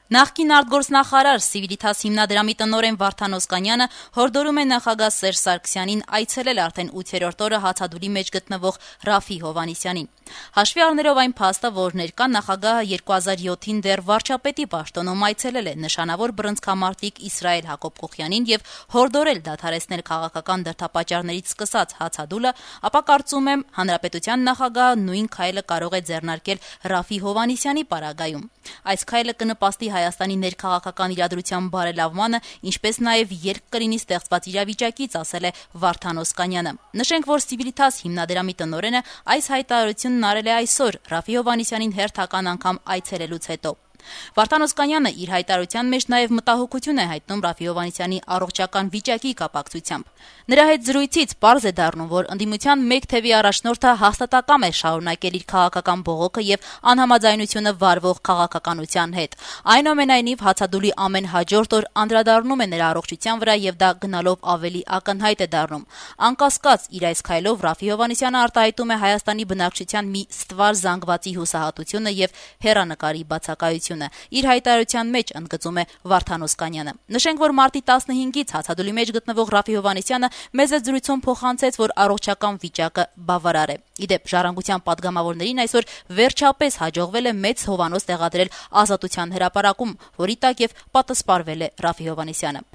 Նախկին արտգործնախարար Civitas հիմնադրամի տնօրեն Վարդան Օսկանյանը հորդորում է նախագահ Սերժ Սարգսյանին այցելել արդեն 8-րդ օրը հացադուլի մեջ գտնվող Ռաֆի Հովհաննիսյանին։ Հաշվի առնելով այն փաստը, որ ներկա նախագահը 2007-ին դեռ վարչապետի պաշտոնում այցելել է նշանավոր բռնցքամարտիկ Իսրայել Հակոբ-Կոխյանին եւ հորդորել դադարեցնել քաղաքական դրդապատճառներից սկսած հացադուլը, ապա կարծում եմ հանրապետության նախագահը նույն քայլը կարող է ձեռնարկել Ռաֆի Հովհաննիսյանի պարագայում։ Այս քայլը կնպաստի Հայաստանի ներքաղաքական իրադրության բարելավմանը, ինչպես նաև ելք կլինի ստեղծված իրավիճակից, ասել է Վարդան Օսկանյանը։ Նշենք, որ Civitas հիմնադրամի տնօրենը այս հայտարարությունն արել է այսօր Ռաֆի Հովհաննիսյանին հերթական անգամ այցելելուց հետո։ Վարդան Օսկանյանը իր հայտարարության մեջ նաև մտահոգություն է հայտնում Ռաֆի Հովհաննիսյանի առողջական վիճակի կապակցությամբ։ Նրա հետ զրույցից պարզ է դառնում, որ ընդդիմության մեկ թևի առաջնորդը հաստատակամ է շարունակել իր քաղաքական բողոքը եւ անհամաձայնությունը վարվող քաղաքականության հետ։ Այնուամենայնիվ, հացադուլի ամեն հաջորդ օր անդրադառնում է նրա առողջության վրա եւ դա գնալով ավելի ակնհայտ է դառնում։ Անկասկած, իր այս քայլով Ռաֆի Հովհաննիսյանը արտահայտում է Հայաստանի բնակչության մի ստվար զանգվածի հուսահատությունը եւ հեռանկարի բացակայությունը։ Իր հայտարարության մեջ ընդգծում է Վարդան Օսկանյանը։ Նշենք, որ մարտի 15-ից հացադուլի մեջ գտնվող Ռաֆի Հովհաննիսյանը մեծ զրույցում փոխանցեց, որ առողջական վիճակը բավարար է։ Իդեպ ժառանգության падգամավորներին այսօր վերջապես հաջողվել է մեծ հովանոց տեղադրել Ազատության հրապարակում, որի տակ եւ պատասպարվել է Ռաֆի Հովհաննիսյանը։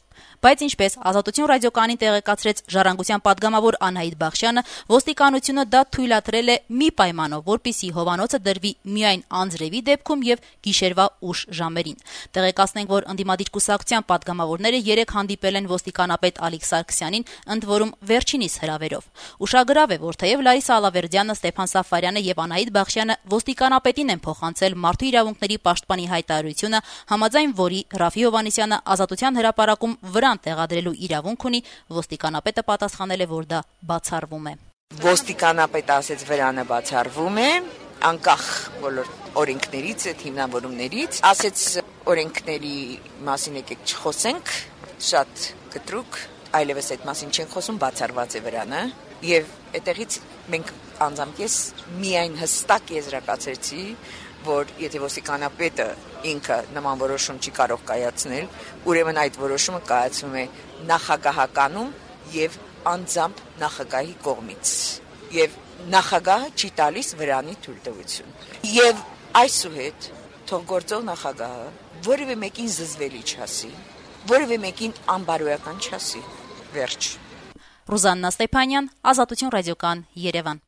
Բայց ինչպես Ազատություն ռադիոկայանին տեղեկացրեց ժառանգության падգամավոր Անահիտ Բախշյանը, ոստիկանությունը դա թույլատրել է մի պայմանով, որպեսզի հովանոցը դրվի միայն անձրևի դեպքում եւ գիշերվա ուշ ժամերին։ Տեղեկացնենք, որ ընդդիմադիր կուսակցության падգամավորները երեկ հանդիպել են ոստիկանապետ Ալիկ Սարգսյանին, ընդ որում վերջինիս հրավերով։ Ուշագրավ է, որ թեև Լարիսա Ալավերդյանը, Ստեփան Սաֆարյանը եւ Անահիտ Բախշյանը ոստիկանապետին են փոխանցել մարդու իրավունքների պաշտպանի հայտարարությունը, համաձայն որի Ռաֆի Հովհաննիսյանը Ազատության հրապարակում վրան տեղադրելու իրավունք ունի, ոստիկանապետը պատասխանել է, որ դա բացառվում է։ Ոստիկանապետը ասեց վրանը բացառվում է, անկախ բոլոր օրենքներից, այդ հիմնավորումներից, ասեց օրենքների մասին եկեք չխոսենք, շատ կտրուկ, այլևս այդ մասին չեն խոսում, բացառված է վրանը, եւ այդտեղից մենք անձամբ ես միայն հստակ եզրակացրեցի, որ եթե ոստիկանապետը ինքը նման որոշում չի կարող կայացնել, ուրեմն այդ որոշումը կայացվում է նախագահականում եւ անձամբ նախագահի կողմից։ Եվ նախագահը չի տալիս վրանի թույլտվություն։ Եվ այսուհետ թող գործող նախագահը որևէ մեկին զզվելի չասի, որևէ մեկին անբարոյական չասի։ Վերջ։ Ռուզաննա Ստեփանյան, Ազատություն ռադիոկայան, Երևան։